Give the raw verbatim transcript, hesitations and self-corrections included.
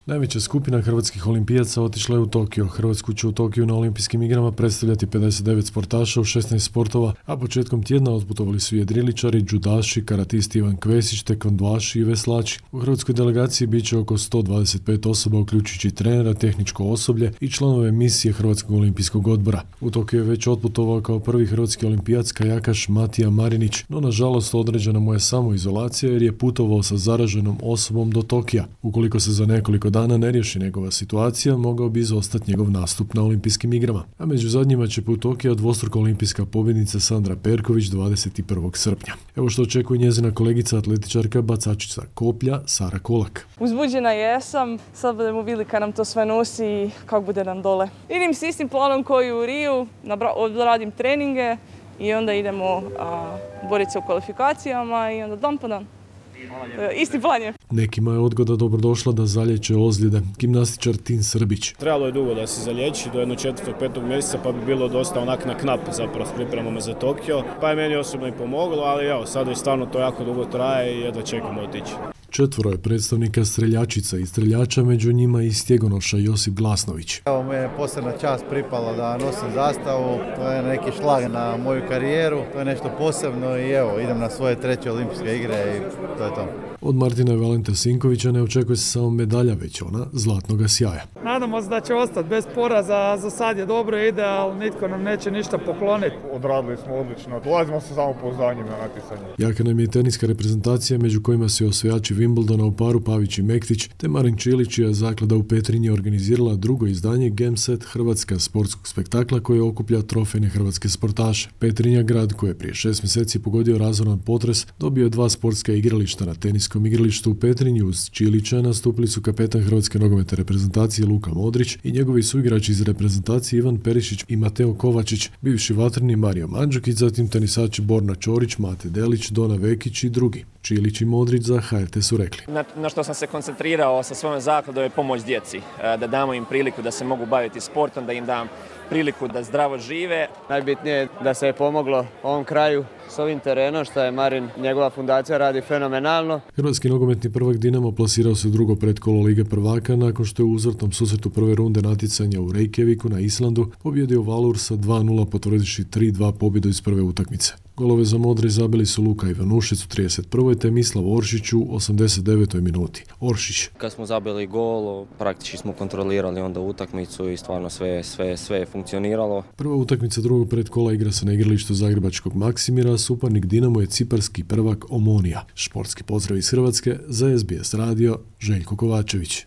Najveća skupina hrvatskih olimpijaca otišla je u Tokio. Hrvatsku će u Tokiju na olimpijskim igrama predstavljati pedeset devet sportaša u šesnaest sportova, a početkom tjedna otputovali su jedriličari, džudaši, karatisti Ivan Kvesić, tekvondoaši i veslači. U hrvatskoj delegaciji bit će oko sto dvadeset pet osoba, uključujući trenera, tehničko osoblje i članove misije Hrvatskog olimpijskog odbora. U Tokio je već otputovao kao prvi hrvatski olimpijac kajakaš Matija Marinić, no nažalost određena mu je samoizolacija jer je putovao sa zaraženom osobom do Tokija. Ukoliko se za nekoliko dana ne riješi njegova situacija, mogao bi izostati njegov nastup na olimpijskim igrama. A među zadnjima će put Tokija dvostruka olimpijska pobjednica Sandra Perković dvadeset prvog srpnja. Evo što očekuje njezina kolegica atletičarka bacačica koplja Sara Kolak. Uzbuđena jesam, sad budemo vidjeli kad nam to sve nosi i kako bude nam dole. Idem s istim planom koji u Riju, odradim treninge i onda idemo a, boriti se u kvalifikacijama i onda dan po dan. Isti plan je. Nekima je odgoda dobrodošla da zalječe ozljede. Gimnastičar Tin Srbić. Trebalo je dugo da se zalječi, do jednog četvrtog, petog mjeseca, pa bi bilo dosta onak na knap zapravo s pripremama za Tokio. Pa je meni osobno i pomoglo, ali evo, sad već stvarno to jako dugo traje i jedva čekamo otići. Četvoro je predstavnika streljačica i streljača, među njima i stjegonoša Josip Glasnović. Evo, me je posebna čast pripala da nosim zastavu, to je neki šlag na moju karijeru, to je nešto posebno i evo, idem na svoje treće olimpijske igre i to je to. Od Martina Valenta Sinkovića ne očekuje se samo medalja, već ona zlatnoga sjaja. Nadamo se da će ostati bez poraza, za sad je dobro ide, ali nitko nam neće ništa pokloniti. Odradili smo odlično, dolazimo sa samopouzdanjem na natjecanje. Jaka nam je teniska reprezentacija, među kojima se osvajači Wimbledona u paru Pavić i Mektić, te Marin Čilić, čija zaklada u Petrinji organizirala drugo izdanje Gameset Hrvatska sportskog spektakla koje okuplja trofejne hrvatske sportaše. Petrinja, grad koji je prije šest mjeseci pogodio razoran potres, dobio je dva sportska igrališta. Na teniskom igralištu u Petrinji uz Čilića nastupili su kapetan hrvatske nogometne reprezentacije Luka Modrić i njegovi suigrači iz reprezentacije Ivan Perišić i Mateo Kovačić, bivši vatreni Mario Mandžukić, zatim tenisači Borna Ćorić, Mate Delić, Dona Vekić i drugi. Čilić i Modrić za H R T su rekli. Na, na što sam se koncentrirao sa svojom zakladom je pomoć djeci, da damo im priliku da se mogu baviti sportom, da im dam priliku da zdravo žive. Najbitnije je da se je pomoglo ovom kraju s ovim terenom, što je Marin, njegova fundacija radi fenomenalno. Hrvatski nogometni prvak Dinamo plasirao se u drugo pretkolo Lige prvaka nakon što je u uzvratnom susretu prve runde natjecanja u Reykjaviku na Islandu pobjedio Valur sa dva nula, potvrdivši tri dva pobjedu iz prve utakmice. Golove za modre zabili su Luka Ivanušec u trideset prvoj te Mislav Oršić u osamdeset devetoj minuti. Oršić. Kad smo zabili gol, praktički smo kontrolirali onda utakmicu i stvarno sve, sve, sve je funkcioniralo. Prva utakmica drugog predkola igra se na igralištu zagrebačkog Maksimira, suparnik Dinamo je ciparski prvak Omonija. Športski pozdrav iz Hrvatske, za S B S radio, Željko Kovačević.